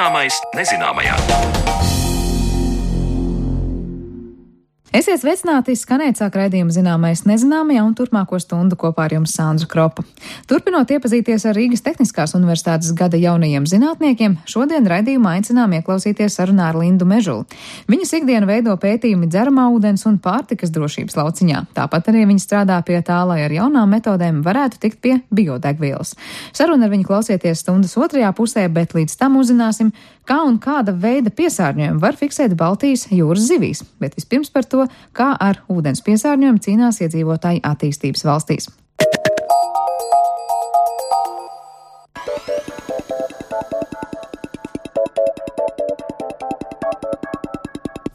Zināmais nezināmajā. Esiet sveicināti, skanēt sāk raidījumu Zināmais nezināmajā un turpmāko stundu kopā ar jums Sandra Kropa. Turpinot iepazīties ar Rīgas Tehniskās universitātes gada jaunajiem zinātniekiem, šodien raidījumā aicinām ieklausīties sarunā ar Lindu Mežuli. Viņas ikdienu veido pētījumi dzeramā ūdens un pārtikas drošības lauciņā. Tāpat arī viņa strādā pie tā, lai ar jaunām metodēm varētu tikt pie biodegvielas. Sarunu ar viņu klausieties stundas otrajā pusē, bet līdz tam uzzināsim, kā un kāda veida piesārņojumu var fiksēt Baltijas jūras zivīs. Bet vispirms par to, kā ar ūdens piesārņojumu cīnās iedzīvotāji attīstības valstīs.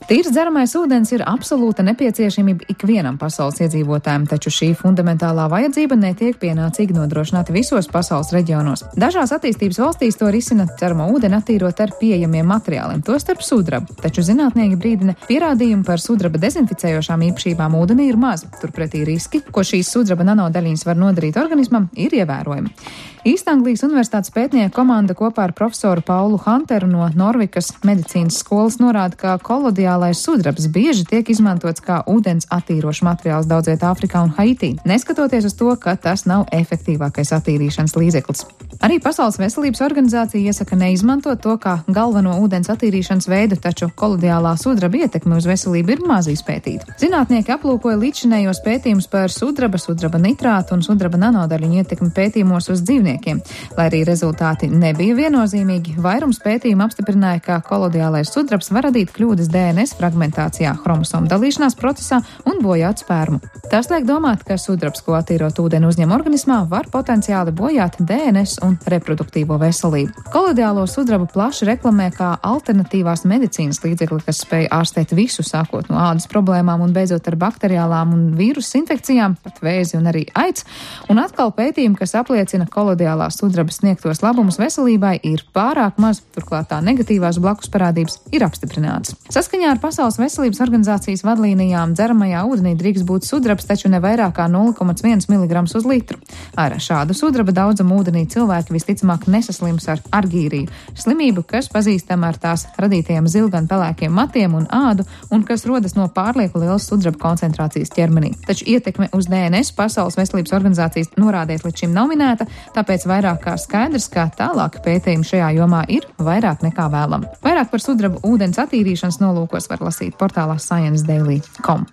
Tīrs dzeramais ūdens ir absolūta nepieciešamība ikvienam pasaules iedzīvotājam, taču šī fundamentālā vajadzība netiek pienācīgi nodrošināta visos pasaules reģionos. Dažās attīstības valstīs to risina dzeramo ūdeni attīrot ar pieejamiem materiāliem, tostarp sudrabu, taču zinātnieki brīdina, pierādījumi par sudraba dezinficējošām īpašībām ūdenī ir maz. Turpretī riski, ko šīs sudraba nanodaļiņas var nodarīt organismam, ir ievērojami. Īstanglijas universitātes pētnieku komanda kopā ar profesoru Paulu Hunteru no Norvikas medicīnas skolas norāda, ka kolodiālais sudrabs bieži tiek izmantots kā ūdens attīrošs materiāls daudz vietā Āfrikā un Haitī, neskatoties uz to, ka tas nav efektīvākais attīrīšanas līdzeklis. Arī Pasaules veselības organizācija iesaka neizmantot to kā galveno ūdens attīrīšanas veidu, taču kolodiālā sudraba ietekme uz veselību ir maz izpētīta. Zinātnieki aplūkoja līdzinējos pētījumus par sudraba nitrātu un sudraba nanodaļiņu ietekmi pētījumos uz dzīvniekiem. Lai arī rezultāti nebija viennozīmīgi, vairums pētījumu apstiprināja, ka kolodiālais sudrabs var radīt kļūdas DNS fragmentācijā, chromosomu dalīšanās procesā un bojāt spermu. Tas liek domāt, ka sudrabs, ko attīrot ūdeni uzņem organismā, var potenciāli bojāt DNS un reproduktīvo veselību. Kolodiālo sudrabu plaši reklamē kā alternatīvās medicīnas līdzekli, kas spēj ārstēt visu, sākot no ādas problēmām un beidzot ar bakteriālām un vīrusu infekcijām, pat vēzi un arī aids. Un atkal pētījumi, kas apliecina kolodiālā sudraba sniegtos labumus veselībai, ir pārāk maz, turklāt tā negatīvās blakus parādības ir apstiprinātas. Saskaņā ar Pasaules veselības organizācijas vadlīnijām dzeramajā ūdenī drīkst būt sudrabs, taču ne vairāk kā 0,1 mg uz litru. Ar šādu sudraba daudzumu ūdenī cilvēki visticamāk nesaslims ar argīriju, slimību, kas pazīstama ar tās radītajiem zilgan pelēkiem matiem un ādu un kas rodas no pārlieku lielas sudraba koncentrācijas ķermenī. Taču ietekme uz DNS Pasaules veselības organizācijas norādēs līdz šim nav minēta, tāpēc vairāk kā skaidrs, ka tālāk pētījumi šajā jomā ir vairāk nekā vēlam. Vairāk par sudrabu ūdens attīrīšanas nolūkos var lasīt portālā ScienceDaily.com.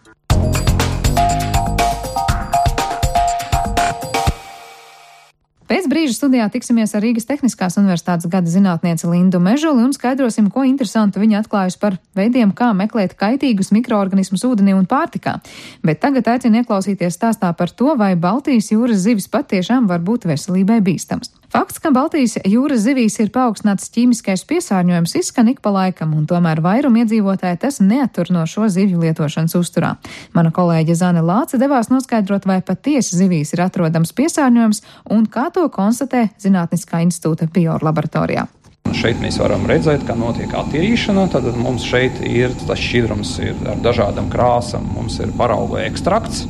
Pēc brīža studijā tiksimies ar Rīgas Tehniskās universitātes gada zinātnieci Lindu Mežuli un skaidrosim, ko interesantu viņa atklājusi par veidiem, kā meklēt kaitīgus mikroorganismus ūdenī un pārtikā. Bet tagad aicinu ieklausīties stāstā par to, vai Baltijas jūras zivis patiešām var būt veselībai bīstams. Fakts, ka Baltijas jūras zivīs ir paaugstināts ķīmiskais piesārņojums, izskan ik pa laikam, un tomēr vairumu iedzīvotāji tas neattur no šo zivju lietošanas uzturā. Mana kolēģe Zane Lāce devās noskaidrot, vai patiesi zivīs ir atrodams piesārņojums un kā to konstatē Zinātniskā institūta biolaboratorijā. Šeit mēs varam redzēt, ka notiek attīrīšana. Tad mums šeit ir tas šķidrums ar dažādām krāsām, mums ir parauga ekstrakts.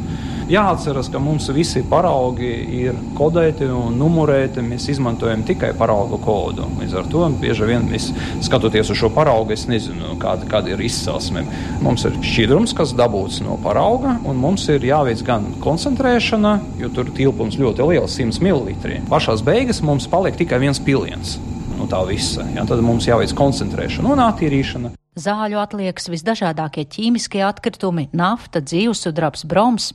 Jāatceras, ka mums visi paraugi ir kodēti un numurēti. Mēs izmantojam tikai parauga kodu. Līdz ar to bieži vien mēs skatoties uz šo paraugu, es nezinu, kāda ir izcelsme. Mums ir šķidrums, kas dabūts no parauga, un mums ir jāveic gan koncentrēšana, jo tur tilpums ļoti liels, 100 ml. Pašās beigas mums paliek tikai viens piliens no tā visa. Ja, tad mums jāveic koncentrēšana un attīrīšana. Zāļu atliekas, visdažādākie ķīmiskie atkritumi, nafta, dzīvsudrabs, broms.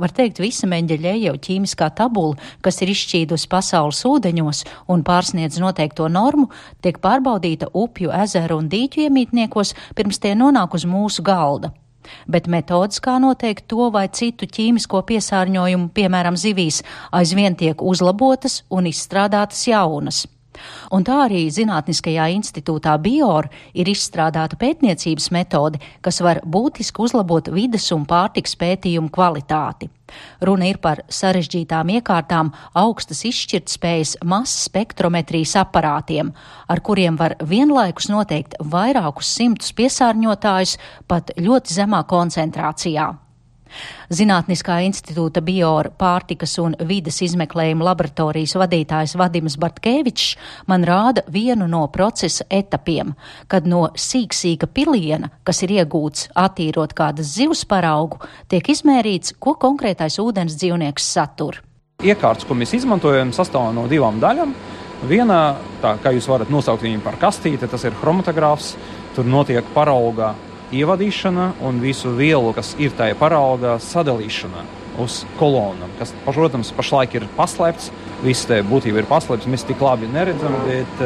Var teikt, visa Mendeļejev ķīmiskā tabula, kas ir izšķīdusi pasaules ūdeņos un pārsniedz noteikto normu, tiek pārbaudīta upju, ezeru un dīķu iemītniekos, pirms tie nonāk uz mūsu galda. Bet metodas, kā noteikt to vai citu ķīmisko piesārņojumu, piemēram zivīs, aizvien tiek uzlabotas un izstrādātas jaunas. Un tā arī Zinātniskajā institūtā BIOR ir izstrādāta pētniecības metode, kas var būtiski uzlabot vides un pārtikas pētījumu kvalitāti. Runa ir par sarežģītām iekārtām, augstas izšķirtspējas masas spektrometrijas aparātiem, ar kuriem var vienlaikus noteikt vairākus simtus piesārņotājus pat ļoti zemā koncentrācijā. Zinātniskā institūta Biora pārtikas un vides izmeklējuma laboratorijas vadītājs Vadims Bartkevičs man rāda vienu no procesa etapiem, kad no sīksīga piliena, kas ir iegūts attīrot kādas zivs paraugu, tiek izmērīts, ko konkrētais ūdens dzīvnieks satur. Iekārts, ko mēs izmantojam, sastāv no divām daļām. Viena, tā kā jūs varat nosaukt viņu par kastīti, tas ir chromatogrāfs. Tur notiek parauga ievadīšana un visu vielu, kas ir tajā paraugā, sadalīšana uz kolonām, kas, protams, pašlaik ir paslēpts. Viss te būtība ir paslēpts, mēs tik labi neredzam, bet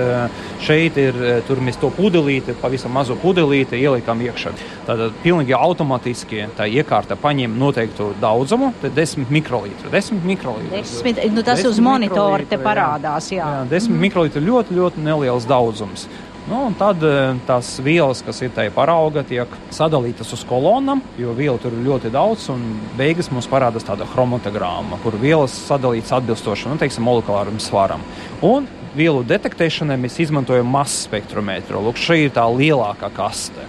šeit ir, tur mēs to pudelīti, pavisam mazu pudelīti ielikam iekšā. Tātad pilnīgi automatiski tā iekārta paņem noteiktu daudzumu, tad 10 mikrolitru. 10 mikrolitru. Tas uz monitora te parādās, jā. 10 mikrolitru ļoti, ļoti neliels daudzums. Un tad tās vielas, kas ir tajā parauga, tiek sadalītas uz kolonām, jo vielu tur ir ļoti daudz, un beigas mums parādās tāda chromatogrāma, kur vielas sadalītas atbilstoši, molekulāram svaram. Un vielu detektēšanai mēs izmantojam masas spektrometru. Lūk, šī ir tā lielākā kaste.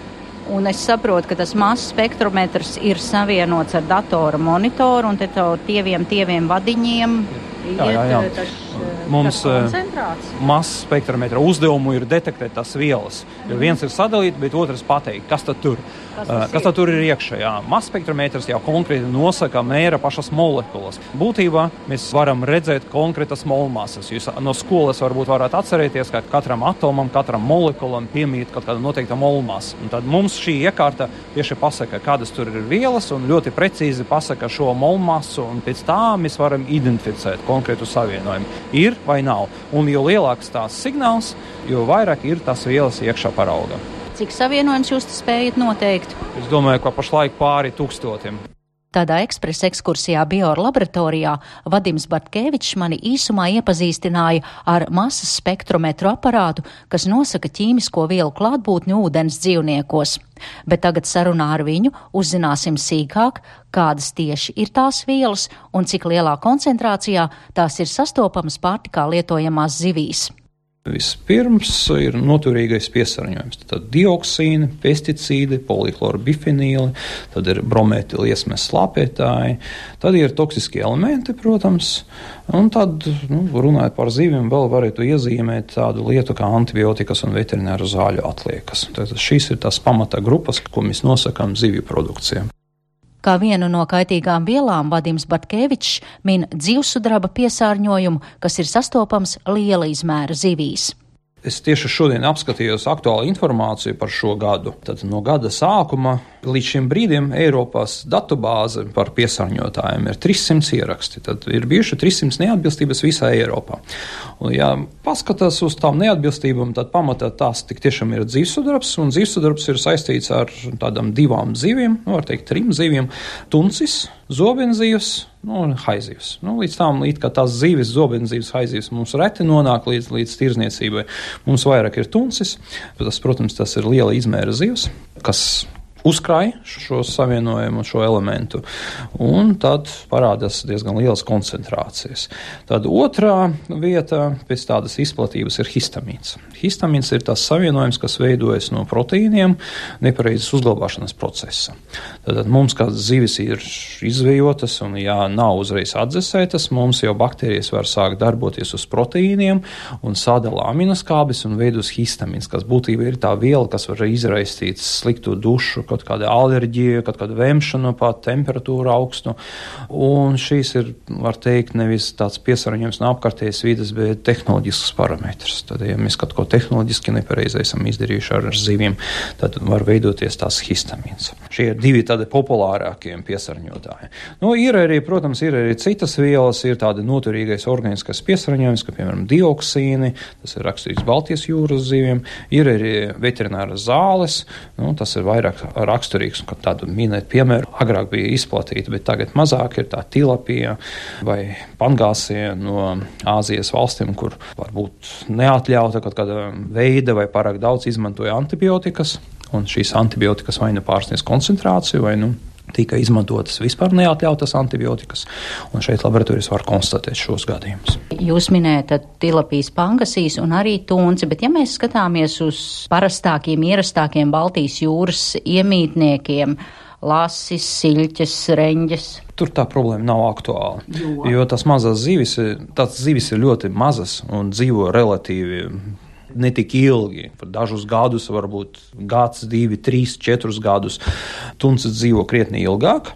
Un es saprotu, ka tas masas spektrometrs ir savienots ar datora monitoru, un te tieviem vadiņiem iet mums masas spektrometra uzdevumu ir detektēt tās vielas. Jo viens ir sadalīt, bet otrs pateikt, kas tad tur. Kas tad tur ir iekšā? Masas spektrometrs jau konkrēti nosaka, mēra pašas molekulas. Būtībā mēs varam redzēt konkrētas molmasas. Jūs no skolas varbūt varat atcerēties, ka katram atomam, katram molekulam piemīt kaut kāda noteikta molmasa. Un tad mums šī iekārta tieši pasaka, kādas tur ir vielas, un ļoti precīzi pasaka šo molmasu, un pēc tā mēs varam identificēt konkrētu savienojumu. Ir vai nav. Un jo lielāks tās signāls, jo vairāk ir tās vielas iekšā paraugā. Cik savienojums jūs spējat noteikt? Es domāju, ka pašlaik pāri 1000. Tādā ekspresa ekskursijā Biora laboratorijā Vadims Bartkevičs mani īsumā iepazīstināja ar masas spektrometru aparātu, kas nosaka ķīmisko vielu klātbūtni ūdens dzīvniekos. Bet tagad sarunā ar viņu uzzināsim sīkāk, kādas tieši ir tās vielas un cik lielā koncentrācijā tās ir sastopamas pārtikā lietojamās zivīs. Vispirms ir noturīgais piesārņojums. Tad dioksīni, pesticīdi, polihlorobifenīli, tad ir bromētiliesmes slāpētāji, tad ir toksiskie elementi, protams, un tad, runājot par zivīm, vēl varētu iezīmēt tādu lietu kā antibiotikas un veterināru zāļu atliekas. Tad šīs ir tās pamata grupas, ko mēs nosakām zivju produkcijām. Kā vienu no kaitīgām vielām Vadims Bartkevičs min dzīvsudraba piesārņojumu, kas ir sastopams liela izmēra zivīs. Es tieši šodien apskatījos aktuālu informāciju par šo gadu. Tad no gada sākuma līdz šim brīdim Eiropas datubāze par piesārņotājiem ir 300 ieraksti. Tad ir bijuši 300 neatbilstības visā Eiropā. Un, ja paskatās uz tām neatbilstībām, tad pamatā tās tik tiešām ir dzīvsudrabs, un dzīvsudrabs ir saistīts ar tādām divām zivīm, var teikt 3 zivīm - tuncis, zobenzivs, un haizivs. Līdz tām, kā tās zivis, zobenzivs, haizivs mums reti nonāk līdz tirzniecībai. Mums vairāk ir tuncis. Tas, protams, tas ir liela izmēra zivs, kas uzkrāj šo savienojumu, šo elementu, un tad parādās diezgan lielas koncentrācijas. Tad otrā vieta pēc tādas izplatības ir histamīns. Histamīns ir tas savienojums, kas veidojas no proteīniem nepareizas uzglabāšanas procesa. Tad mums, kā zivis ir izvejotas un ja nav uzreiz atdzesētas, mums jau baktērijas var sākt darboties uz proteīniem un sadala aminoskābes un veidos histamīns, kas būtībā ir tā viela, kas var izraisīt sliktu dušu, kaut kāda alerģija, kaut kāda vemšana, pat temperatūra augstu. Un šīs ir, var teikt, nevis tāds piesārņojums no apkārtējas vides, bet tehnoloģisks parametrs. Tad, ja mēs kaut ko tehnoloģiski nepareizi esam izdarījuši ar zivīm, tad var veidoties tās histamīns. Šie ir divi tādi populārākie piesārņotāji. Ir arī, protams, ir arī citas vielas, ir tādi noturīgais organiskais piesārņojums, kā piemēram dioksīni, tas ir raksturīgs Baltijas jūras zivīm, ir arī veterināras zāles, tas ir vairāk raksturīgs, un tādu minēt piemēru agrāk bija izplatīta, bet tagad mazāk ir tā tilapija vai pangāsie no Āzijas valstīm, kur varbūt neatļauta kaut kāda veida vai pārāk daudz izmantoja antibiotikas, un šīs antibiotikas vai pārsniedz koncentrāciju, vai tika izmantotas vispār neatļautas antibiotikas, un šeit laboratorijas var konstatēt šos gadījumus. Jūs minējat tilapijas, pangasīs un arī tunci, bet ja mēs skatāmies uz parastākiem, ierastākiem Baltijas jūras iemītniekiem, lasis, siļķes, reņģes. Tur tā problēma nav aktuāla, jo tās mazās zivis ir ļoti mazas un dzīvo relatīvi ne tik ilgi, par dažus gadus, varbūt gads, 2, 3, 4 gadus. Tuncis dzīvo krietni ilgāk,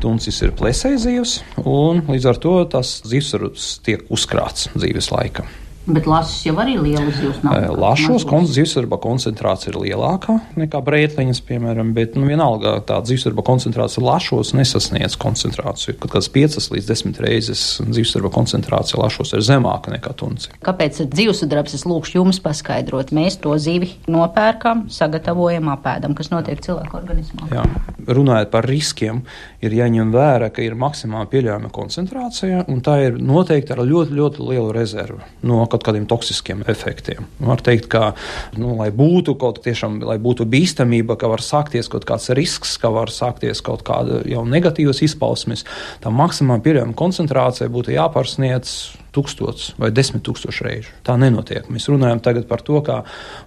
tuncis ir plesējzivs, un līdz ar to tas zivsarus tiek uzkrāts dzīves laika. Bet lasis jau arī liela zivs nav. Lašos zivsarba koncentrācija ir lielākā nekā brētliņas, piemēram, bet vienalga tā zivsarba koncentrācija lašos nesasniedz koncentrāciju. Kad kāds 5 līdz 10 reizes zivsarba koncentrācija lašos ir zemāka nekā tunci. Kāpēc zivsudrabs? Es lūkšu jums paskaidrot. Mēs to zivi nopērkam, sagatavojam, apēdam, kas notiek cilvēku organismā. Jā. Runājot par riskiem, ir jāņem vērā, ka ir maksimāli pieļaujama koncentrācija, un tā ir noteikti ar ļoti, ļoti lielu rezervu no kaut kādiem toksiskiem efektiem. Var teikt, ka, lai būtu bīstamība, ka var sākties kaut kāds risks, ka var sākties kaut kāda jau negatīvas izpausmes, tā maksimāli pieļaujama koncentrācija būtu jāpārsniedz 1000 vai 10 000 reižu. Tā nenotiek. Mēs runājam tagad par to, ka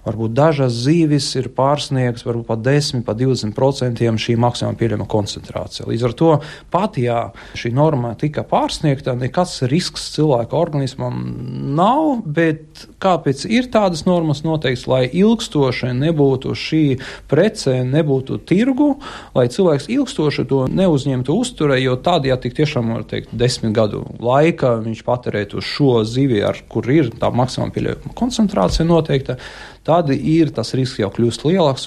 varbūt dažas zīvis ir pārsniegts, varbūt pat 10, pat 20% šī maksimāli pieļaujama koncentrācija. Līdz ar to pat, ja šī norma tika pārsniegta, nekāds risks cilvēka organismam nav, bet kāpēc ir tādas normas noteikts, lai ilgstoši nebūtu šī prece, nebūtu tirgu, lai cilvēks ilgstoši to neuzņemtu uzturē, jo tādi, ja tik tiešām, var teikt, 10 gadu laika viņš patērētu šo zivi, kur ir tā maksimāli pieļaujama koncentrācija noteikta, tad ir tas risks jau kļūst lielāks.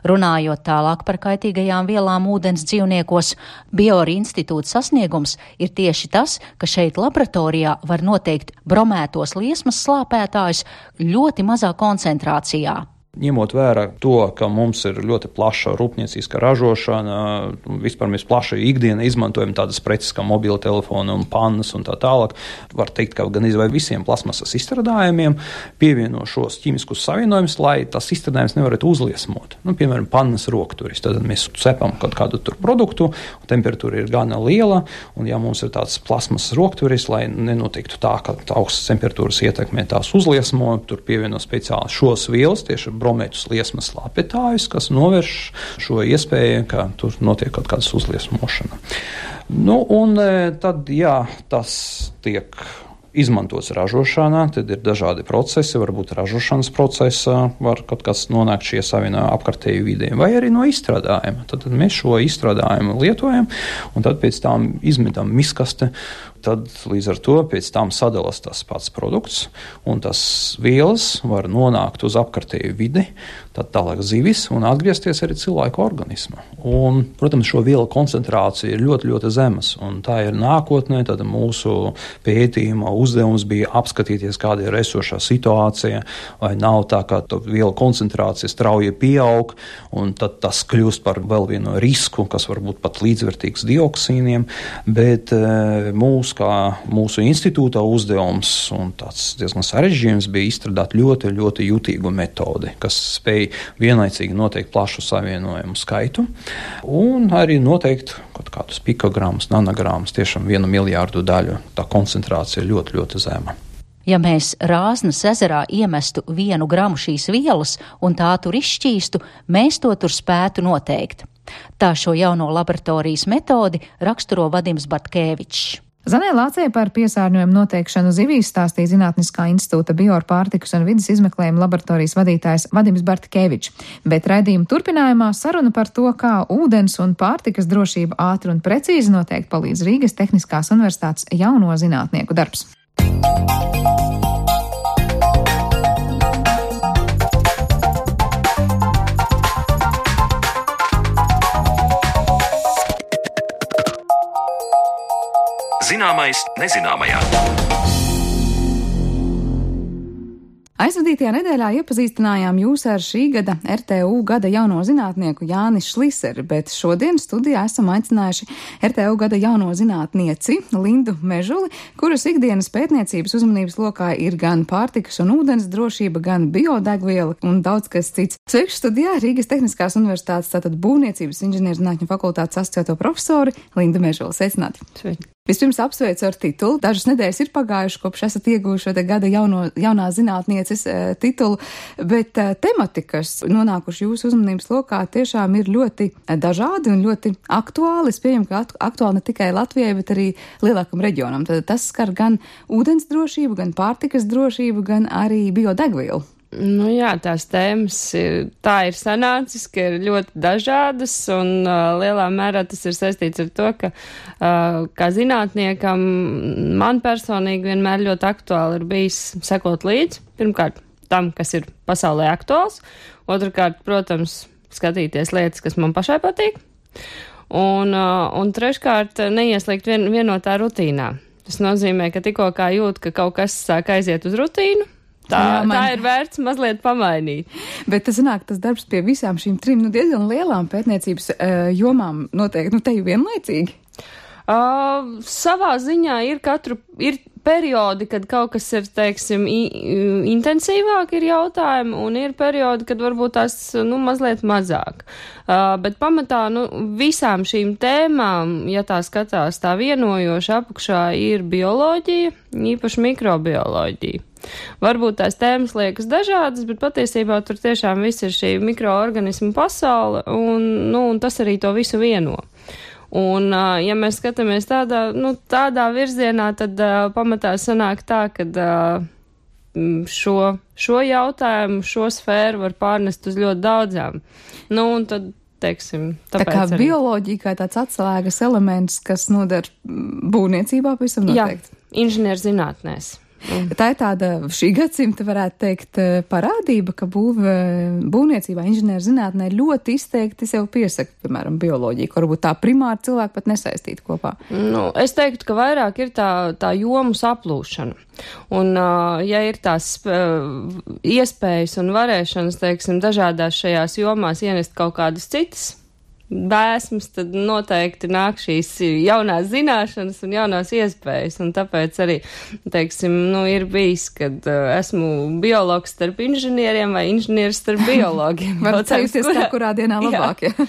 Runājot tālāk par kaitīgajām vielām ūdens dzīvniekos, Biora institūta sasniegums ir tieši tas, ka šeit laboratorijā var noteikt bromētos liesmas slāpētājus ļoti mazā koncentrācijā. Ņemot vērā to, ka mums ir ļoti plaša rūpnieciska ražošana, vispār mēs plaši ikdienā izmantojam tādas preces kā mobila telefoni un pannas un tā tālāk, var teikt, ka gan izvēl visiem plasmasas izstrādājumiem pievieno šos ķīmiskus savienojumus, lai tas izstrādājums nevarētu uzliesmot. Piemēram, pannas rokturis. Tad mēs cepam kaut kādu tur produktu, un temperatūra ir gana liela, un ja mums ir tāds plasmasas rokturis, lai nenotiktu tā, ka augstas temperatūras ietekmē tās uzliesmo, tur pievieno speciāli šos vielas, tieši bromētus liesmas slāpētājus, kas novērš šo iespēju, ka tur notiek kaut kādas uzliesmošana. Un tad, ja tas tiek izmantots ražošanā, tad ir dažādi procesi, varbūt ražošanas procesā var kaut kas nonākt šie savienojumi apkārtēju vidē, vai arī no izstrādājuma. Tad mēs šo izstrādājumu lietojam, un tad pēc tam izmetam miskaste, tad līdz ar to pēc tam sadalās tas pats produkts, un tas vielas var nonākt uz apkārtēju vidi, tad tālāk zivis un atgriezties arī cilvēku organismā. Un, protams, šo vielu koncentrācija ir ļoti, ļoti zemas, un tā ir nākotnē, tad mūsu pētījuma uzdevums bija apskatīties, kāda ir esošā situācija, vai nav tā, ka vielu koncentrācija strauji pieaug, un tad tas kļūst par vēl vienu risku, kas var būt pat līdzvērtīgs dioksīniem, bet mūsu institūta uzdevums un tāds diezgan sarežģījums bija izstrādāt ļoti, ļoti jutīgu metodi, kas spēj vienlaicīgi noteikt plašu savienojumu skaitu un arī noteikt kaut kādus pikogramus, nanogramus, tiešām 1 miljārdu daļu. Tā koncentrācija ir ļoti, ļoti zema. Ja mēs Rāznas ezerā iemestu 1 gramu šīs vielas un tā tur izšķīstu, mēs to tur spētu noteikt. Tā šo jauno laboratorijas metodi raksturo Vadims Bartkēvičs. Zanē Lācei par piesārņojumu noteikšanu zivīs stāstīja Zinātniskā institūta Biora pārtikas un vidas izmeklējuma laboratorijas vadītājs Vadims Bartkēvičs, bet raidījuma turpinājumā saruna par to, kā ūdens un pārtikas drošība ātri un precīzi noteikt palīdz Rīgas Tehniskās universitātes jauno zinātnieku darbs. Zināmais nezināmajā. Aizvadītajā nedēļā iepazīstinājām jūs ar šī gada RTU gada jauno zinātnieku Jāni Šliseri, bet šodien studijā esam aicinājuši RTU gada jauno zinātnieci Lindu Mežuli, kuras ikdienas pētniecības uzmanības lokā ir gan pārtikas un ūdens drošība, gan biodegviela un daudz kas cits. Sveiki studijā Rīgas Tehniskās universitātes tātad būvniecības inženierzinātņu fakultātes asociēto profesori Lindu Mežuli. Sveicināti! Sveiki! Vispirms apsveicu ar titulu. Dažas nedēļas ir pagājuši, kopš esat ieguvuši šo te gada jaunā zinātnieces titulu, bet temati, kas nonākuši jūsu uzmanības lokā, tiešām ir ļoti dažādi un ļoti aktuāli. Es pieņemu, ka aktuāli ne tikai Latvijai, bet arī lielākam reģionam. Tad tas skar gan ūdens drošību, gan pārtikas drošību, gan arī biodegvielu. Nu jā, tās tēmas tā ir sanācis, ka ir ļoti dažādas un lielā mērā tas ir saistīts ar to, ka kā zinātniekam man personīgi vienmēr ļoti aktuāli ir bijis sekot līdzi. Pirmkārt, tam, kas ir pasaulē aktuāls. Otrakārt, protams, skatīties lietas, kas man pašai patīk. Un treškārt, neieslīgt vienotā rutīnā. Tas nozīmē, ka tikko kā jūt, ka kaut kas sāk aiziet uz rutīnu, Tā ir vērts mazliet pamainīt. Bet tas sanāk, tas darbs pie visām šīm trim diezgan lielām pētniecības jomām notiek, te jau vienlaicīgi? Savā ziņā ir periodi, kad kaut kas ir, teiksim, intensīvāk ir jautājumi, un ir periodi, kad varbūt tās, mazliet mazāk. Bet pamatā, visām šīm tēmām, ja tā skatās tā vienojoša apakšā, ir bioloģija, īpaši mikrobioloģija. Varbūt tās tēmas liekas dažādas, bet patiesībā tur tiešām viss ir šī mikroorganismu pasaule, un tas arī to visu vieno. Un, ja mēs skatāmies tādā virzienā, tad pamatā sanāk tā, ka šo jautājumu, šo sfēru var pārnest uz ļoti daudzām. Un tad, teiksim, tāpēc tā kā arī bioloģija kā tāds atslēgas elements, kas noder būvniecībā, pavisam noteikti. Jā, inženierzinātnēs. Tā ir tāda šī gadsimta, varētu teikt, parādība, ka būvniecībā, inženierzinātnē ļoti izteikti sev piesaka, piemēram, bioloģiju, ka varbūt tā primāri cilvēki pat nesaistīti kopā. Es teiktu, ka vairāk ir tā jomu saplūšana. Un, ja ir tās iespējas un varēšanas, teiksim, dažādās šajās jomās ienest kaut kādas citas bēsmas, tad noteikti nāk šīs jaunās zināšanas un jaunās iespējas. Un tāpēc arī, teiksim, ir bijis, kad esmu biologs starp inženieriem vai inženieris starp biologiem. Var ceļties kā kurā dienā labāk, jā.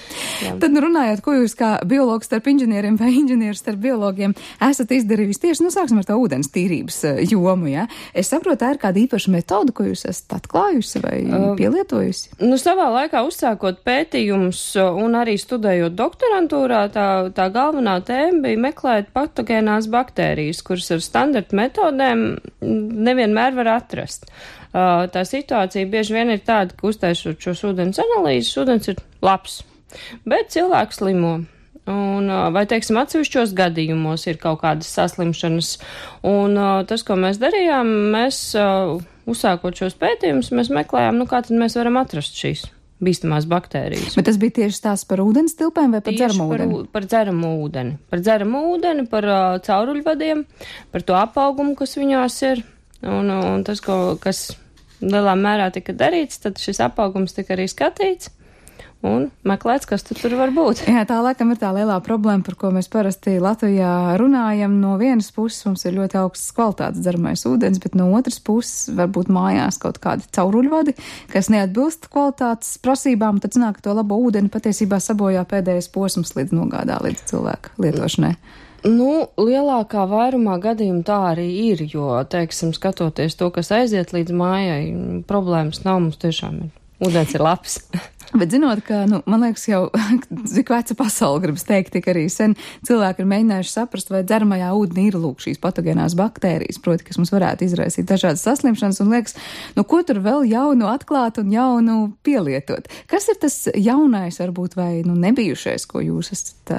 Tad runājot, ko jūs kā biologs starp inženieriem vai inženieris starp biologiem esat izdarījusi tieši, sāksim ar to ūdens tīrības jomu, jā. Es saprotu, tā ir kāda īpaša metoda, ko jūs esat atklājusi vai pielietojusi? Savā laikā uzsākot pētījumus un arī studējot doktorantūrā, tā galvenā tēma bija meklēt patogēnās baktērijas, kuras ar standarta metodēm nevienmēr var atrast. Tā situācija bieži vien ir tāda, ka uztaisot šos ūdens analīzes, ūdens ir labs, bet cilvēks slimo. Vai, teiksim, atsevišķos gadījumos ir kaut kādas saslimšanas. Un tas, ko mēs darījām, uzsākot šos pētījumus, mēs meklējām, kā tad mēs varam atrast šīs bīstamās baktērijas. Bet tas bija tieši tās par ūdens tilpēm vai par dzeramu ūdeni? Par dzeramu ūdeni. Par dzeramu ūdeni, par cauruļvadiem, par to apaugumu, kas viņās ir. Un tas, kas lielā mērā tika darīts, tad šis apaugums tika arī skatīts un meklēts, kas tur var būt. Jā, tā laikam ir tā lielā problēma, par ko mēs parasti Latvijā runājam. No vienas puses mums ir ļoti augsts kvalitātes dzeramais ūdens, bet no otras puses varbūt mājās kaut kādi cauruļvadi, kas neatbilst kvalitātes prasībām, tad sanāk, ka to labo ūdeni patiesībā sabojā pēdējais posms līdz nogādā līdz cilvēka lietošanai. Lielākā vairumā gadījumu tā arī ir, jo, teiksim, skatoties to, kas aiziet līdz mājai, problēmas nav, mums tiešām ir. Ūdens ir labs. Bet zinot, ka, man liekas, jau cik veca pasauli gribas teikt, tik arī sen cilvēki ir mēģinājuši saprast, vai dzeramajā ūdenī ir šīs patogēnās baktērijas, proti, kas mums varētu izraisīt dažādas saslimšanas, un liekas, ko tur vēl jaunu atklāt un jaunu pielietot. Kas ir tas jaunais, varbūt, vai nebijušais, ko jūs esat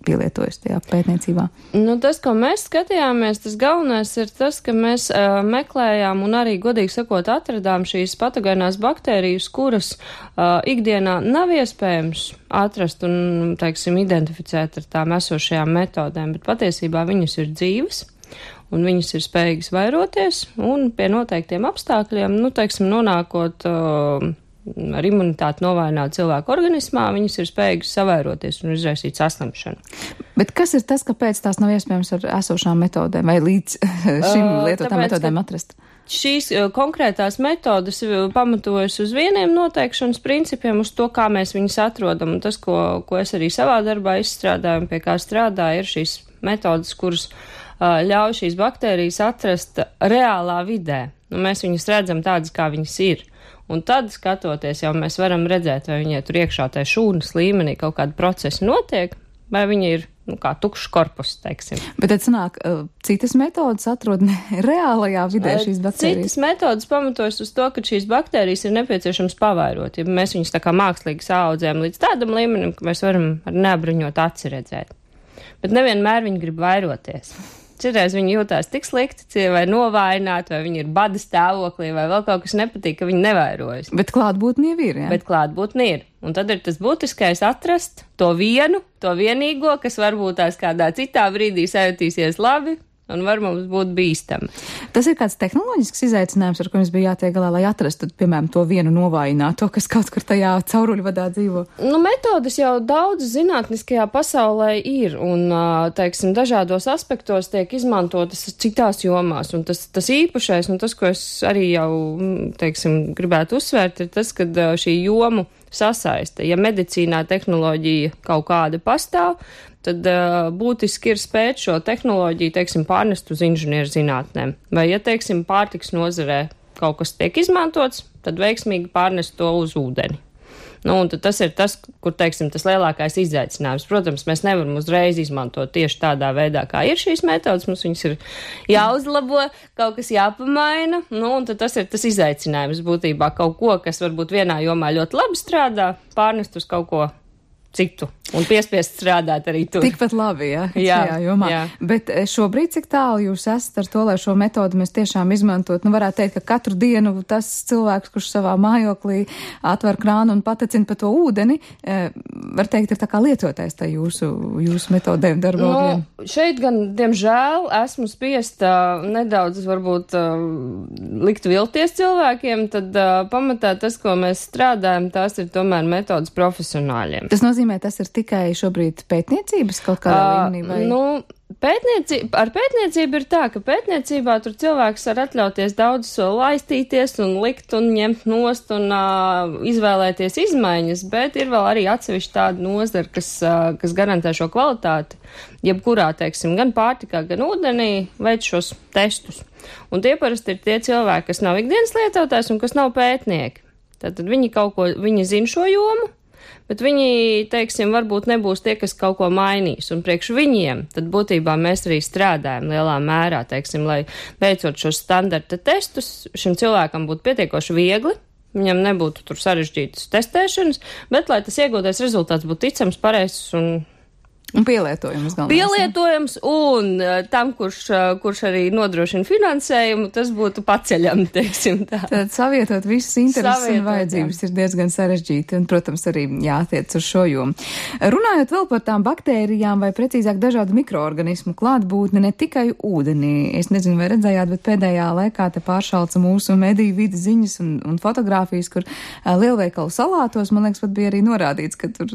pielietojas tajā pētniecībā? Tas, ko mēs skatījāmies, tas galvenais ir tas, ka mēs meklējām un arī, godīgi sakot, atradām šīs patogēnās baktērijas, kuras ikdienā nav iespējams atrast un, teiksim, identificēt ar tām esošajām metodēm, bet patiesībā viņas ir dzīves un viņas ir spējīgas vairoties un pie noteiktiem apstākļiem, teiksim, nonākot ar imunitāti novainot cilvēku organismā, viņas ir spējīgas savairoties un izraisīt saslimšanu. Bet kas ir tas, kāpēc tās nav iespējams ar esošām metodēm vai līdz šim lietotām metodēm atrast? šīs konkrētās metodas pamatojas uz vieniem noteikšanas principiem, uz to, kā mēs viņus atrodam. Un tas, ko es arī savā darbā izstrādāju un pie kā strādāju, ir šīs metodas, kuras ļauj šīs baktērijas atrast reālā vidē. Mēs viņus redzam tādas, kā viņas ir. Un tad, skatoties, jau mēs varam redzēt, vai viņai tur iekšā tajā šūnas līmenī kaut kādi procesi notiek, vai viņa ir, kā tukšs korpus, teiksim. Bet tad sanāk, citas metodas atrod reālajā vidē šīs baktērijas? Citas metodas pamatojas uz to, ka šīs baktērijas ir nepieciešams pavairot, ja mēs viņus tā kā mākslīgi saaudzējam līdz tādam līmenim, ka mēs varam ar neapbruņot aci redzēt. Bet nevienmēr viņi grib vairoties. Citreiz viņi jūtās tik slikti, vai novājināti, vai viņi ir bada stāvoklī, vai vēl kaut kas nepatīk, ka viņi nevairojas. Bet klātbūtne jau ir, jā? Bet klātbūtne ir. Un tad ir tas būtiskais atrast to vienīgo, kas varbūt tās kādā citā brīdī sajutīsies labi un var mums būt bīstami. Tas ir kāds tehnoloģisks izaicinājums, ar ko jums bija jātiek galā, lai atrastu, piemēram, to vienu novājināto, kas kaut kur tajā cauruļvadā dzīvo? Metodas jau daudz zinātniskajā pasaulē ir, un, teiksim, dažādos aspektos tiek izmantotas citās jomās, un tas īpašais, un tas, ko es arī jau, teiksim, gribētu uzsvērt, ir tas, ka šī jomu sasaiste. Ja medicīnā tehnoloģija kaut kāda pastāv, tad būtiski ir spēt šo tehnoloģiju, teiksim, pārnest uz inženieru zinātnēm. Vai, ja, teiksim, pārtiks nozarē kaut kas tiek izmantots, tad veiksmīgi pārnest to uz ūdeni. Un tad tas ir tas, kur, teiksim, tas lielākais izaicinājums. Protams, mēs nevaram uzreiz izmantot tieši tādā veidā, kā ir šīs metodas. Mums viņas ir jāuzlabo, kaut kas jāpamaina. Un tad tas ir tas izaicinājums būtībā kaut ko, kas varbūt vienā jomā ļoti labi strādā, pārnest uz kaut ko citu un piespiest strādāt arī tur. Tikpat labi, šajā jomā. Jā. Bet šobrīd, cik tālu jūs esat ar to, lai šo metodu mēs tiešām izmantot? Varētu teikt, ka katru dienu tas cilvēks, kurš savā mājoklī atver krānu un patecina pa to ūdeni, var teikt, ir tā kā lietotais tā jūsu metodēm darbogļiem. Šeit gan, diemžēl, esmu spiesta nedaudz varbūt likt vilties cilvēkiem, tad pamatā tas, ko mēs strādājam, tās ir tomēr metodas profesionāļiem. Tas nozīmē, tas ir tikai šobrīd pētniecības kaut kādā līmenī? Vai? Ar pētniecību ir tā, ka pētniecībā tur cilvēks var atļauties daudz laistīties un likt un ņemt nost un izvēlēties izmaiņas, bet ir vēl arī atsevišķi tāda nozara, kas garantē šo kvalitāti, jebkurā, teiksim, gan pārtikā, gan ūdenī veic šos testus. Un tie parasti ir tie cilvēki, kas nav ikdienas lietotājs un kas nav pētnieki. Tātad viņi zina šo jomu, bet viņi, teiksim, varbūt nebūs tie, kas kaut ko mainīs, un priekš viņiem tad būtībā mēs arī strādājam lielā mērā, teiksim, lai veicot šos standarta testus, šim cilvēkam būtu pietiekoši viegli, viņam nebūtu tur sarežģītas testēšanas, bet lai tas iegūtais rezultāts būtu ticams, pareizs un pielietojams galvenais. Pielietojams un tam, kurš arī nodrošina finansējumu, tas būtu paceļami, teiksim tā. Tad savietot visas intereses un vajadzības ir diezgan sarežģīti un, protams, arī jātiec uz šo jomu. Runājot vēl par tām baktērijām vai precīzāk dažādu mikroorganismu klātbūtni ne tikai ūdenī. Es nezinu, vai redzējāt, bet pēdējā laikā te pāršalca mūsu mediju vidas ziņas un fotogrāfijas, kur lielveikalu salātos, man liekas, pat bija arī norādīts, ka tur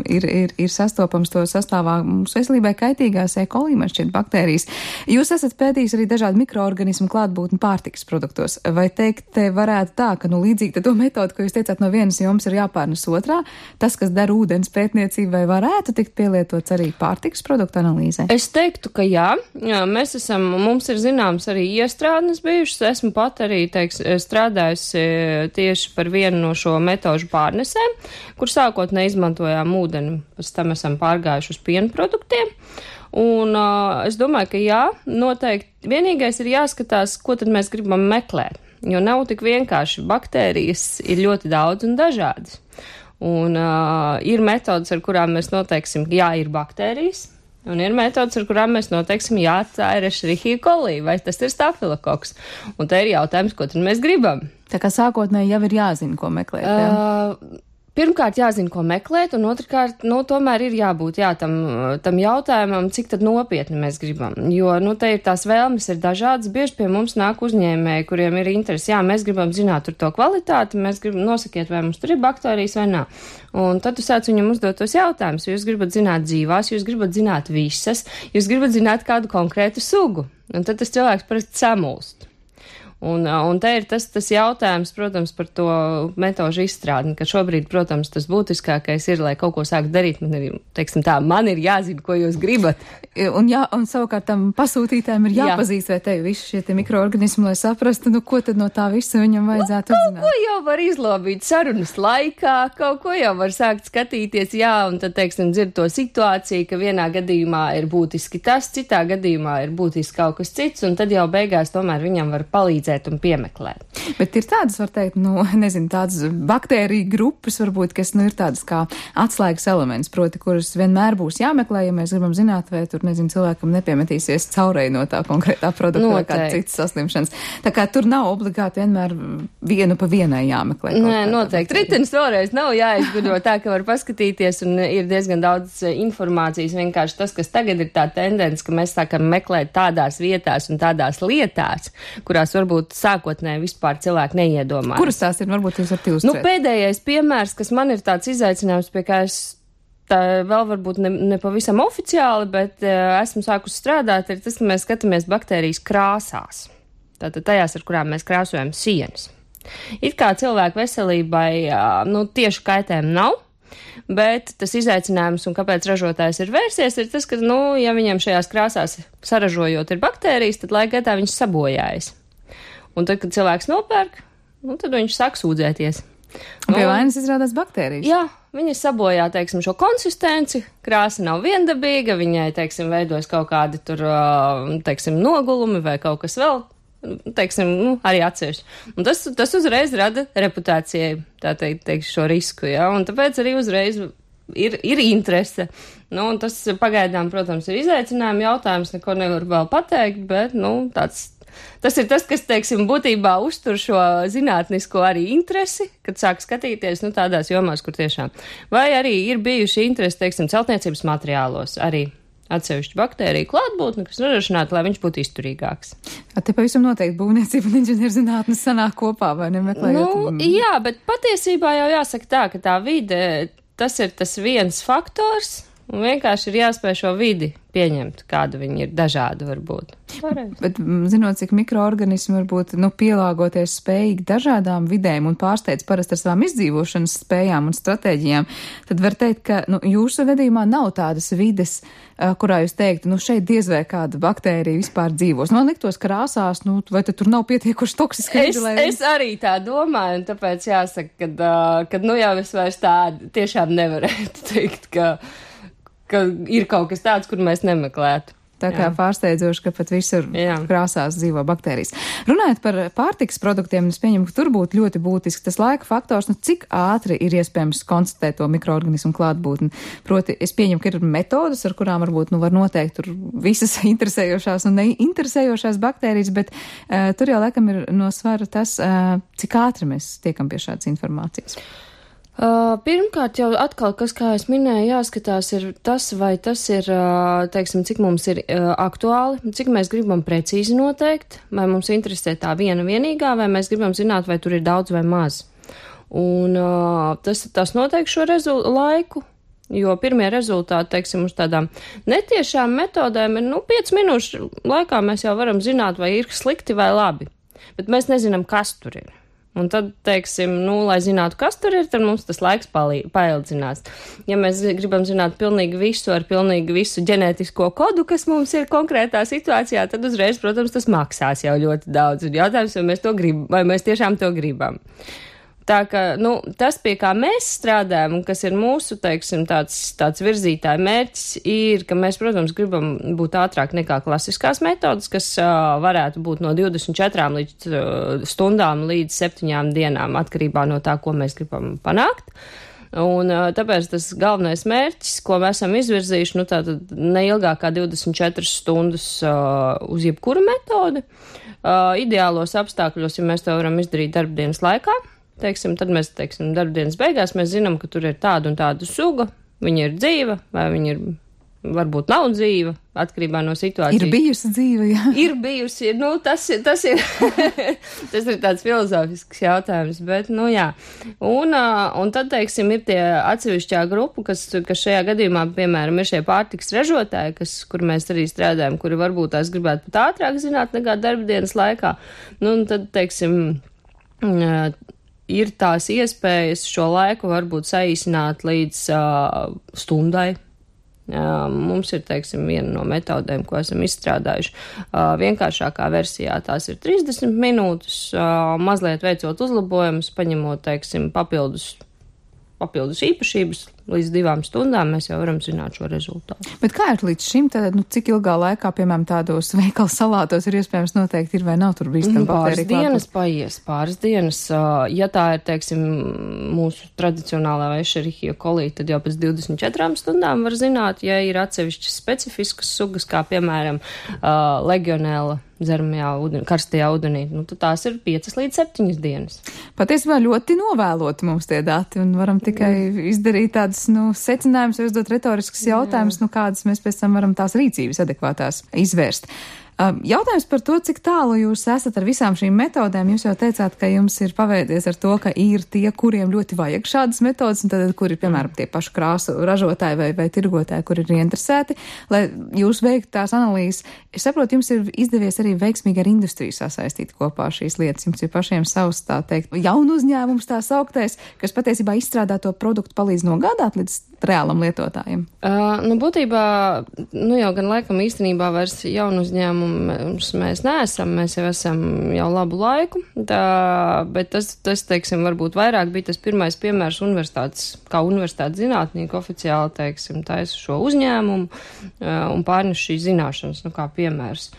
ir sastopams to sastāvā mūsu veselībai kaitīgās E. coli, man šķiet, baktērijas. Jūs esat pētījis arī dažādu mikroorganismu klātbūtni pārtikas produktos. Vai teikt, te varētu tā, ka, līdzīgi to metodu, ko jūs teicāt, no vienas jomas ir jāpārnes otrā, tas, kas dara ūdens pētniecībai, varētu tikt pielietots arī pārtikas produktu analīzē? Es teiktu, ka jā. Mums ir zināms arī iestrādnes bijušas. Esmu pat arī, strādājusi tieši par vienu no šo metožu pārnesēm, kur sākotnēji izmantojām ūdeni, pēc tam esam pārgājuši uz piena produktiem. Un es domāju, ka jā, noteikti. Vienīgais ir jāskatās, ko tad mēs gribam meklēt, jo nav tik vienkārši. Baktērijas ir ļoti daudz un dažādas. Un ir metodas, ar kurām mēs noteiksim, jā, ir baktērijas, un ir metodas, ar kurām mēs noteiksim, jā, tā ir Escherichia coli, vai tas ir stafilokoks. Un te ir jautājums, ko tad mēs gribam. Tā kā sākotnēji jau ir jāzina, ko meklēt, jā? Pirmkārt, jāzina, ko meklēt, un otrkārt, tomēr ir jābūt tam jautājumam, cik tad nopietni mēs gribam. Jo, te ir tās vēlmes ir dažādas, bieži pie mums nāk uzņēmēji, kuriem ir interesi, jā, mēs gribam zināt tur to kvalitāti, mēs gribam nosakiet, vai mums tur ir baktērijas vai nav. Un tad tu sāc viņam uzdot tos jautājumus, jūs gribat zināt dzīvās, jūs gribat zināt visas, jūs gribat zināt kādu konkrētu sugu. Un tad tas cilvēks parasti samulst. Un te ir tas jautājums, protams, par to metožu izstrādi, ka šobrīd, protams, tas būtiskākais ir, lai kaut ko sākt darīt, man ir jāzina, ko jūs gribat. Un savukārt tam pasūtītājiem ir jāpazīst, vai te visi šie mikroorganismi, lai saprastu, ko tad no tā visa viņam vajadzētu uzzināt. Kaut ko jau var izlobīt sarunas laikā, kaut ko jau var sākt skatīties, un tad, dzird to situāciju, ka vienā gadījumā ir būtiski tas, citā gadījumā ir būtiski kaut kas cits, un tad jau beigās tomēr viņam var palīdzēt un piemeklēt. Bet ir tādas, var teikt, tādas baktēriju grupas, varbūt, kas, ir tādas kā atslēgas elements, proti, kuras vienmēr būs jāmeklē, ja mēs gribam zināt, vai tur, cilvēkam nepiemetīsies caurei no tā konkrētā produkta vai kāda citas saslimšanas. Tā kā tur nav obligāti vienmēr vienu pa vienai jāmeklē. Nē, noteikti. Ritenis vēlreiz nav jāizgudro tā, ka var paskatīties un ir diezgan daudz informācijas. Vienkārši tas, kas tagad ir tā tendence, ka mēs sākam meklēt tādās vietās un tādās lietās, kurās varbūt sākotnēji vispār cilvēki neiedomājas. Kuras tās ir? Varbūt jūs varat illustrēt. Pēdējais piemērs, kas man ir tāds izaicinājums, pie kā es tā vēl varbūt ne pavisam oficiāli, bet esmu sākusi strādāt, ir tas, ka mēs skatāmies baktērijas krāsās. Tātad tajās, ar kurām mēs krāsojam sienas. It kā cilvēku veselībai tieši kaitējumu nav, bet tas izaicinājums un kāpēc ražotājs ir vērsies, ir tas, ka, ja viņam šajās krāsās saražojot ir baktērijas, tad laika gaitā viņš sabojājas. Un tad, kad cilvēks nopērk, tad viņš sāk sūdzēties. Un pie vainas izrādās baktērijas. Jā, viņa sabojā, šo konsistenci, krāsa nav viendabīga, viņai, veidojas kaut kādi tur, nogulumi vai kaut kas vēl, arī atsevišķi. Un tas uzreiz rada reputācijai, šo risku, un tāpēc arī uzreiz ir interese. Un tas pagaidām, protams, ir izaicinājumi jautājums, neko nevar vēl pateikt, bet, tas ir tas, kas, būtībā uztur šo zinātnisko arī interesi, kad sāk skatīties, tādās jomās, kur tiešām. Vai arī ir bijuši interesi, celtniecības materiālos arī atsevišķu baktēriju klātbūtni, kas nodrošinātu, lai viņš būtu izturīgāks. Te pavisam noteikti būvniecība un inženierzinātnes sanāk kopā, vai nemeklējot? Jā, bet patiesībā jau jāsaka tā, ka tā vide, tas ir tas viens faktors, un vienkārši ir jāspēj šo vidi pieņemt, kāda viņi ir dažādi varbūt. Bet zinot, cik mikroorganismi varbūt pielāgoties spējīgi dažādām vidēm un pārsteidz parasti ar savām izdzīvošanas spējām un stratēģijām, tad var teikt, ka jūsu gadījumā nav tādas vides, kurā jūs teiktu, šeit diez vai kāda baktērija vispār dzīvos. Man liktos krāsās, vai tad tur nav pietiekuši toksiski vidi? Es arī tā domāju, un tāpēc jāsaka, kad jau es vairs tā tiešām nevarētu teikt, ka ir kaut kas tāds, kur mēs nemeklētu. Tā kā pārsteidzoši, ka pat visur krāsās dzīvo baktērijas. Runājot par pārtikas produktiem, es pieņemu, ka tur būtu ļoti būtisks tas laika faktors, cik ātri ir iespējams konstatēt to mikroorganismu klātbūtni. Proti, es pieņemu, ka ir metodas, ar kurām varbūt var noteikt tur visas interesējošās un neinteresējošās baktērijas, bet tur jau laikam ir no svara tas, cik ātri mēs tiekam pie šādas informācijas. Pirmkārt jau atkal, kas, kā es minēju, jāskatās ir tas, vai tas ir, cik mums ir aktuāli, cik mēs gribam precīzi noteikt, vai mums interesē tā viena vienīgā, vai mēs gribam zināt, vai tur ir daudz vai maz. Un tas noteikti šo laiku, jo pirmie rezultāti, uz tādām netiešām metodēm ir, 5 minūšu laikā mēs jau varam zināt, vai ir slikti vai labi, bet mēs nezinām, kas tur ir. Un tad, lai zinātu, kas tur ir, tad mums tas laiks paildzinās. Ja mēs gribam zināt pilnīgi visu ar pilnīgi visu ģenētisko kodu, kas mums ir konkrētā situācijā, tad uzreiz, protams, tas maksās jau ļoti daudz. Un jautājums, vai mēs tiešām to gribam. Tā ka, tas, pie kā mēs strādājam un kas ir mūsu, tāds virzītāja mērķis, ir, ka mēs, protams, gribam būt ātrāk nekā klasiskās metodas, kas varētu būt no 24 stundām līdz 7 dienām, atkarībā no tā, ko mēs gribam panākt. Un tāpēc tas galvenais mērķis, ko mēs esam izvirzījuši, tātad neilgāk kā 24 stundas uz jebkuru metodi. Ideālos apstākļos, ja mēs to varam izdarīt darbdienas laikā, tad mēs, darbdienas beigās mēs zinām, ka tur ir tāda un tāda suga, viņa ir dzīva, vai viņa ir varbūt nav dzīva, atkarībā no situācijas. Ir bijusi dzīve, jā. Ir bijusi, tas ir, tas ir tāds filozofisks jautājums, bet, jā. Un tad, teiksim, ir tie atsevišķā grupa, kas šajā gadījumā, piemēram, ir šie pārtiks ražotāji, kur mēs arī strādājam, kuri varbūt tās gribētu pat ātrāk zināt nekā darbdienas laikā. Un tad, teiksim, ir tās iespējas šo laiku varbūt saīsināt līdz stundai. Mums ir, teiksim, viena no metodēm, ko esam izstrādājuši. Vienkāršākā versijā tās ir 30 minūtes, mazliet veicot uzlabojumus, paņemot, teiksim, papildus īpašības, līdz 2 stundām mēs jau varam zināt šo rezultātu. Bet kā ir līdz šim, tad, cik ilgā laikā, piemēram, tādos veikala salātos ir iespējams noteikti ir vai nav tur bīstama baktērija? Pāris dienas. Ja tā ir, teiksim, mūsu tradicionālā Escherichia coli, tad jau pēc 24 stundām var zināt, ja ir atsevišķas specifiskas sugas, kā, piemēram, legionēla dzeramajā karstajā ūdenī, tad tās ir 5 līdz 7 dienas. Patiesībā ļoti novēloti mums tie dati, un varam tikai izdarīt tādas, secinājumus, uzdot retoriskas jautājumus, kādas mēs pēc tam varam tās rīcības adekvātās izvērst. Jautājums par to, cik tālu jūs esat ar visām šīm metodēm. Jūs jau teicāt, ka jums ir paveicies ar to, ka ir tie, kuriem ļoti vajag šādas metodas, un tad, kuri, piemēram, tie paši krāsu ražotāji vai tirgotāji, kuri ir interesēti, lai jūs veiktu tās analīzes. Es saprotu, jums ir izdevies arī veiksmīgi ar industriju sasaistīt kopā šīs lietas. Jums ir pašiem savs, tā teikt, jaunu uzņēmums tā sauktais, kas patiesībā izstrādā to produktu palīdz nogādāt līdz reālam lietotājiem. Būtībā, jau gan laikam īstenībā vairs jaunu uzņēmumu mēs neesam, mēs jau esam jau labu laiku, bet tas, teiksim, varbūt vairāk bija tas pirmais piemērs universitātes zinātnieki oficiāli, teiksim, taisa šo uzņēmumu un pārnes šīs zināšanas, kā piemērs.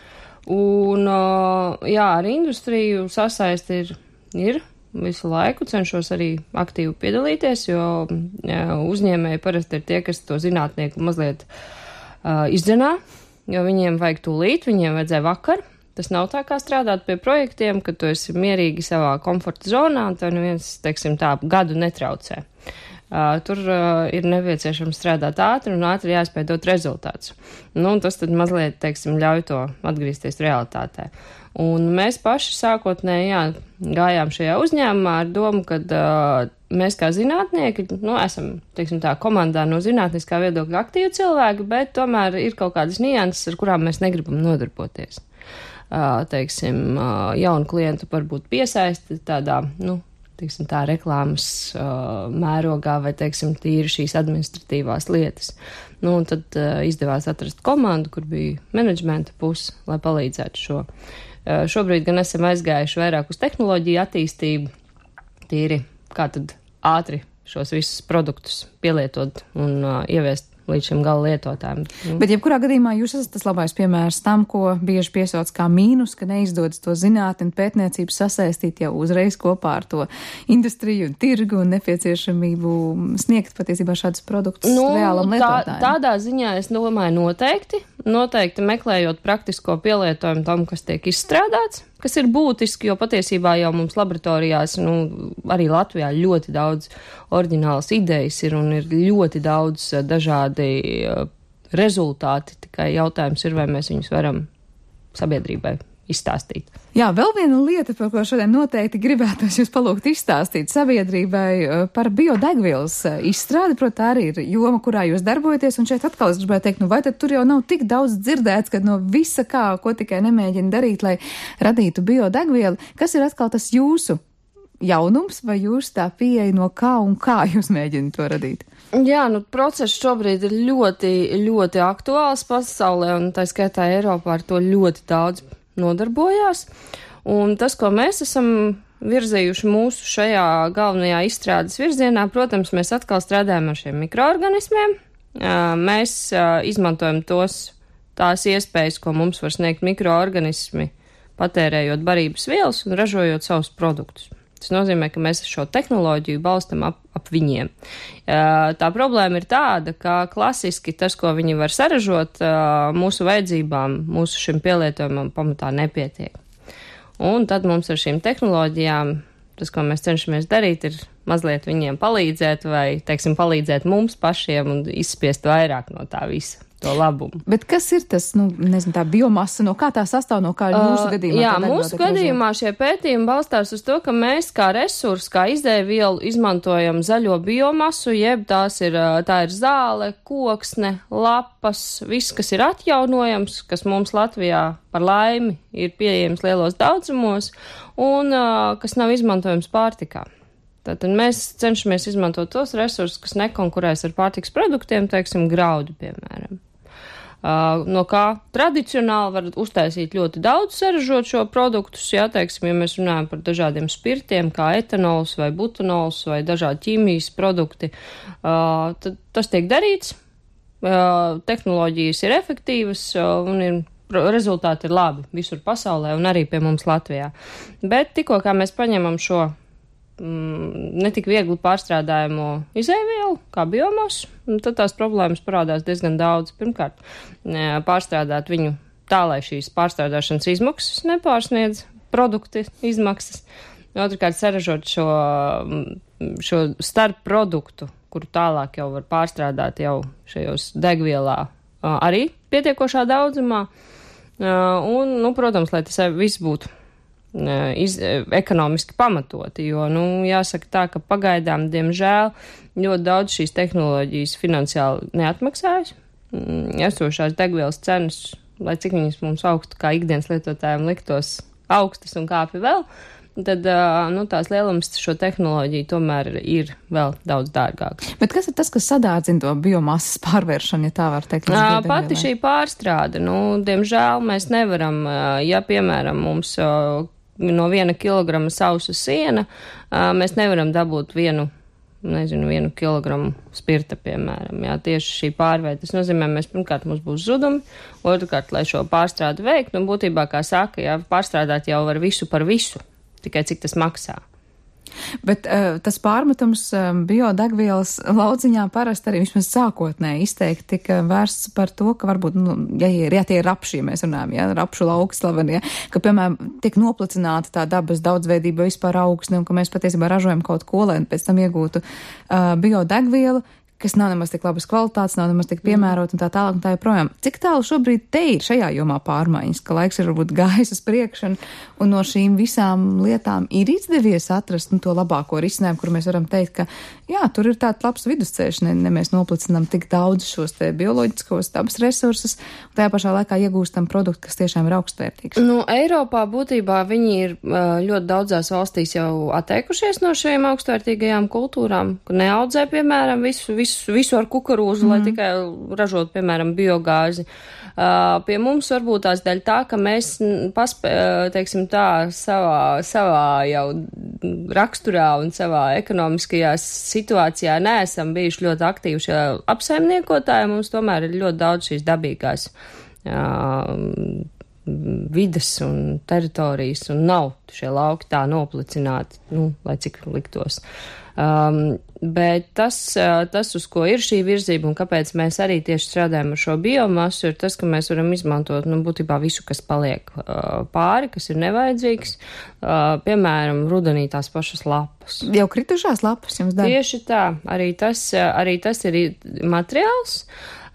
Un, ar industriju sasaisti ir visu laiku, cenšos arī aktīvi piedalīties, jo uzņēmēji parasti ir tie, kas to zinātnieku mazliet izdzenā, jo viņiem vajag tūlīt, viņiem vajadzēja vakar. Tas nav tā kā strādāt pie projektiem, ka tu esi mierīgi savā komforta zonā, un tev neviens, teiksim, tā gadu netraucē. Tur ir nepieciešams strādāt ātri un ātri jāspēj dot rezultātus. Tas tad mazliet, teiksim, ļauj to atgriezties realitātē. Un mēs paši sākotnēji, gājām šajā uzņēmumā ar domu, ka mēs kā zinātnieki, esam, teiksim tā, komandā no zinātniskā viedokļa aktīvi cilvēki, bet tomēr ir kaut kādas nianses, ar kurām mēs negribam nodarboties. Teiksim, jaunu klientu varbūt piesaisti tādā, teiksim tā, reklāmas mērogā vai, teiksim, tīri šīs administratīvās lietas. Un tad izdevās atrast komandu, kur bija menedžmenta puse, lai palīdzētu šo. Šobrīd gan esam aizgājuši vairāk uz tehnoloģiju attīstību, tīri kā tad ātri šos visus produktus pielietot un ieviest līdz šim gala lietotājiem. Bet jebkurā gadījumā jūs esat tas labais piemērs tam, ko bieži piesauc kā mīnus, ka neizdodas to zinātni un pētniecību sasaistīt jau uzreiz kopā ar to industriju un tirgu un nepieciešamību sniegt patiesībā šādus produktus reālam lietotājiem. Tādā ziņā es domāju noteikti meklējot praktisko pielietojumu tam, kas tiek izstrādāts, kas ir būtiski, jo patiesībā jau mums laboratorijās, arī Latvijā ļoti daudz oriģinālas idejas ir un ir ļoti daudz dažādi rezultāti, tikai jautājums ir, vai mēs viņus varam sabiedrībai izstāstīt. Jā, vēl viena lieta, par ko šodien noteikti gribētos jūs palūgt izstāstīt sabiedrībai par biodegvielas izstrādi, protams, arī ir joma, kurā jūs darbojaties, un šeit atkal es gribētu teikt, vai tad tur jau nav tik daudz dzirdēts, ka no visa kā, ko tikai nemēģina darīt, lai radītu biodegvielu, kas ir atkal tas jūsu jaunums, vai jūs tā pieeja no kā un kā jūs mēģināt to radīt? Jā, process šobrīd ir ļoti, ļoti aktuāls pasaulē, un tā skaitā Eiropā ar to ļoti daudz nodarbojās, un tas, ko mēs esam virzējuši mūsu šajā galvenajā izstrādes virzienā, protams, mēs atkal strādājam ar šiem mikroorganismiem, mēs izmantojam tās iespējas, ko mums var sniegt mikroorganismi, patērējot barības vielas un ražojot savus produktus. Tas nozīmē, ka mēs šo tehnoloģiju balstam ap viņiem. Tā problēma ir tāda, ka klasiski tas, ko viņi var saražot, mūsu vajadzībām, mūsu šim pielietojumam pamatā nepietiek. Un tad mums ar šīm tehnoloģijām, tas, ko mēs cenšamies darīt, ir mazliet viņiem palīdzēt vai, teiksim, palīdzēt mums pašiem un izspiest vairāk no tā visa. to labumu. Bet kas ir tas, tā biomasa, no kā tā sastāv, no kā jūsu gadījumā? Jā, mūsu gadījumā šie pētījumi balstās uz to, ka mēs kā resursu, kā izēvielu izmantojam zaļo biomasu, jeb tā ir zāle, koksne, lapas, viss, kas ir atjaunojams, kas mums Latvijā par laimi ir pieejams lielos daudzumos un kas nav izmantojams pārtikā. Tātad mēs cenšamies izmantot tos resursus, kas nekonkurēs ar pārtikas produktiem, teiksim, graudu, piemēram. No kā tradicionāli var uztaisīt ļoti daudz saražot šo produktus, ja mēs runājam par dažādiem spirtiem, kā etanols vai butanols vai dažādi ķīmijas produkti, tad tas tiek darīts, tehnoloģijas ir efektīvas un rezultāti ir labi visur pasaulē un arī pie mums Latvijā. Bet tikko kā mēs paņemam šo netik viegli pārstrādājumu izēvielu, kā biomasu, tad tās problēmas parādās diezgan daudz. Pirmkārt, pārstrādāt viņu tā, lai šīs pārstrādāšanas izmaksas nepārsniedz produkti izmaksas. Otrkārt, saražot šo starp produktu, kuru tālāk jau var pārstrādāt jau šajos degvielā arī pietiekošā daudzumā. Un, protams, lai tas viss būtu ekonomiski pamatoti, jo, jāsaka tā, ka pagaidām, diemžēl, ļoti daudz šīs tehnoloģijas finansiāli neatmaksājas. Esošās degvielas cenas, lai cik viņas mums augstu kā ikdienas lietotājiem liktos augstas un kāpi vēl, tad, tās lielums šo tehnoloģiju tomēr ir vēl daudz dārgāks. Bet kas ir tas, kas sadārdzina to biomasas pārvēršanu, ja tā var teikt? Pati šī pārstrāde, diemžēl mēs nevaram, ja, piemēram, mums no 1 kilograma sausa siena, mēs nevaram dabūt 1 kilogramu spirta, piemēram. Jā, tieši šī pārveide. Tas nozīmē, pirmkārt, mums būs zudumi, otrkārt, lai šo pārstrādi veikt, būtībā, kā saka, jā, pārstrādāt jau var visu par visu, tikai cik tas maksā. Bet tas pārmetums biodegvielas lauciņā parasti arī vismaz sākotnēji izteikti tika vērsts par to, ka varbūt, ja tie ir rapši, ja mēs runājam, ja, rapšu lauki slavenie, ka, piemēram, tiek noplicināta tā dabas daudzveidība vispār augsne un ka mēs patiesībā ražojam kaut ko, lai pēc tam iegūtu biodegvielu, kas nav nemaz tik labas kvalitātes, nav nemaz tik piemērot un tā tālāk un tā joprojām. Cik tālu šobrīd te ir šajā jomā pārmaiņas, ka laiks ir varbūt gājis uz priekšu un no šīm visām lietām ir izdevies atrast to labāko risinājumu, kur mēs varam teikt, ka jā, tur ir tāds labs vidusceļš, ne mēs noplicinām tik daudz šos te bioloģiskos dabas resursus, un tajā pašā laikā iegūstam produktu, kas tiešām ir augstvērtīgs. Eiropā būtībā viņi ir ļoti daudzās valstīs jau atteikušies no šiem augstvērtīgajām kultūrām, kur neaudzē, piemēram, visu ar kukurūzu, lai tikai ražot, piemēram, biogāzi. Pie mums varbūt tās daļa tā, ka mēs teiksim tā, savā jau raksturā un savā ekonomiskajā situācijā neesam bijuši ļoti aktīvi šie apsaimniekotāji. Mums tomēr ir ļoti daudz šīs dabīgās vides un teritorijas, un nav šie lauki tā noplicināti, lai cik liktos. Bet tas, uz ko ir šī virzība un kāpēc mēs arī tieši strādājam ar šo biomasu, ir tas, ka mēs varam izmantot, būtībā visu, kas paliek pāri, kas ir nevajadzīgs, piemēram, rudenī tās pašas lapas. Jau kritušās lapas jums dara? Tieši tā, arī tas ir materiāls.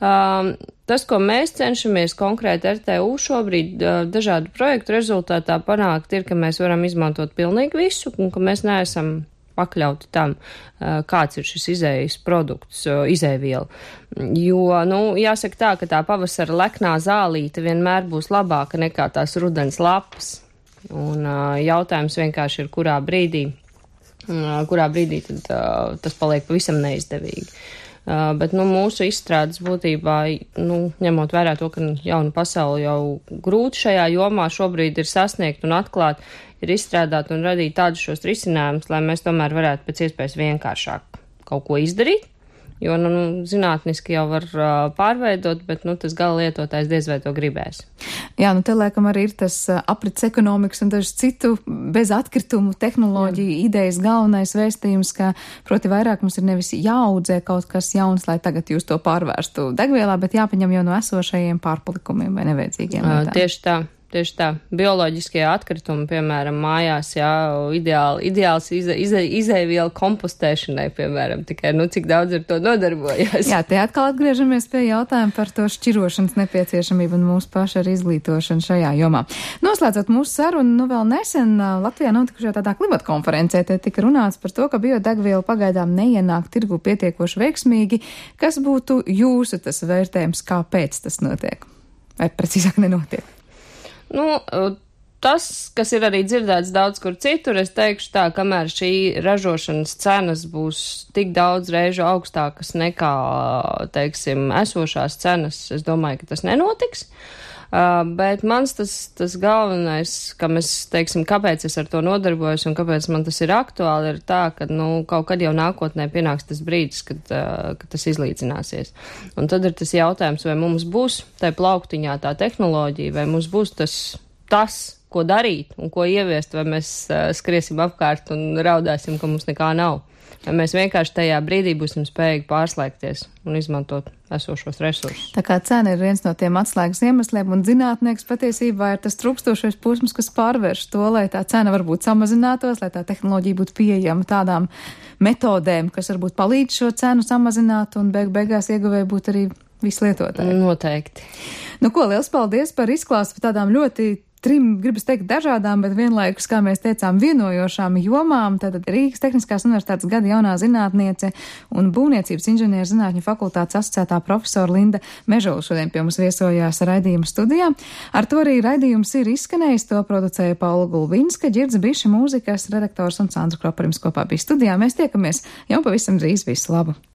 Tas, ko mēs cenšamies konkrēti RTU šobrīd dažādu projektu rezultātā panākt, ir, ka mēs varam izmantot pilnīgi visu un ka mēs neesam pakļauti tam, kāds ir šis izējas produkts, izēviela. Jo, jāsaka tā, ka tā pavasara leknā zālīte vienmēr būs labāka nekā tās rudens lapas. Un jautājums vienkārši ir, kurā brīdī tad tas paliek pavisam neizdevīgi. Bet, mūsu izstrādes būtībā, ņemot vērā to, ka jauna pasaule jau grūti šajā jomā šobrīd ir sasniegt un atklāt, ir izstrādāt un radīt tādus šos risinājumus, lai mēs tomēr varētu pēc iespējas vienkāršāk kaut ko izdarīt. Jo, zinātniski jau var pārveidot, bet, tas gala lietotājs diez vai to gribēs. Jā, te laikam arī ir tas aprits ekonomikas un dažu citu bez atkritumu tehnoloģiju idejas galvenais vēstījums, ka, proti, vairāk mums ir nevis jāaudzē kaut kas jauns, lai tagad jūs to pārvērstu degvielā, bet jāpaņem jau no esošajiem pārpalikumiem vai nevajadzīgiem lietām. Tieši tā. tieši tā. Bioloģiskie atkritumi, piemēram, mājās, jā, ideāls izēvielu kompostēšanai, piemēram, tikai, cik daudz ar to nodarbojās. Jā, te atkal atgriežamies pie jautājuma par to šķirošanas nepieciešamību un mūsu pašu ar izglītošanu šajā jomā. Noslēdzot mūsu sarunu, vēl nesen Latvijā notikušajā tādā klimata konferencē, te tika runāts par to, ka biodegviela pagaidām neienāk tirgu pietiekoši veiksmīgi. Kas būtu jūsu tas vērtējums, kāpēc tas notiek? Vai precīzāk nenotiek? Tas, kas ir arī dzirdēts daudz kur citur, es teikšu tā, kamēr šī ražošanas cenas būs tik daudz reižu augstākas nekā, teiksim, esošās cenas, es domāju, ka tas nenotiks. Bet mans tas galvenais, kāpēc es ar to nodarbojos un kāpēc man tas ir aktuāli, ir tā, ka, kaut kad jau nākotnē pienāks tas brīdis, kad tas izlīdzināsies. Un tad ir tas jautājums, vai mums būs tai plauktiņā tā tehnoloģija, vai mums būs tas, ko darīt un ko ieviest, vai mēs skriesim apkārt un raudāsim, ka mums nekā nav. Vai mēs vienkārši tajā brīdī būsim spējīgi pārslēgties un izmantot esošos resursus. Tā kā cena ir viens no tiem atslēgas iemesliem, un zinātnieks patiesībā ir tas trūkstošais posms, kas pārvērš to, lai tā cena varbūt samazinātos, lai tā tehnoloģija būtu pieejama tādām metodēm, kas varbūt palīdz šo cenu samazināt, un beigās ieguvēji būtu arī visi lietotāji. Noteikti. Ko, liels paldies par izklāstu par tādām ļoti gribas teikt dažādām, bet vienlaikus, kā mēs teicām, vienojošām jomām. Tātad Rīgas Tehniskās universitātes gada jaunā zinātniece un būvniecības inženieru zinātņu fakultātes asociētā profesora Linda Mežola šodien pie mums viesojās raidījuma studijā. Ar to arī raidījums ir izskanējis, to producēja Paula Gulbinska, Ģirds Biša, mūzikas redaktors un Sandra Kroparims kopā bija studijā. Mēs tiekamies jau pavisam drīz, visu labu!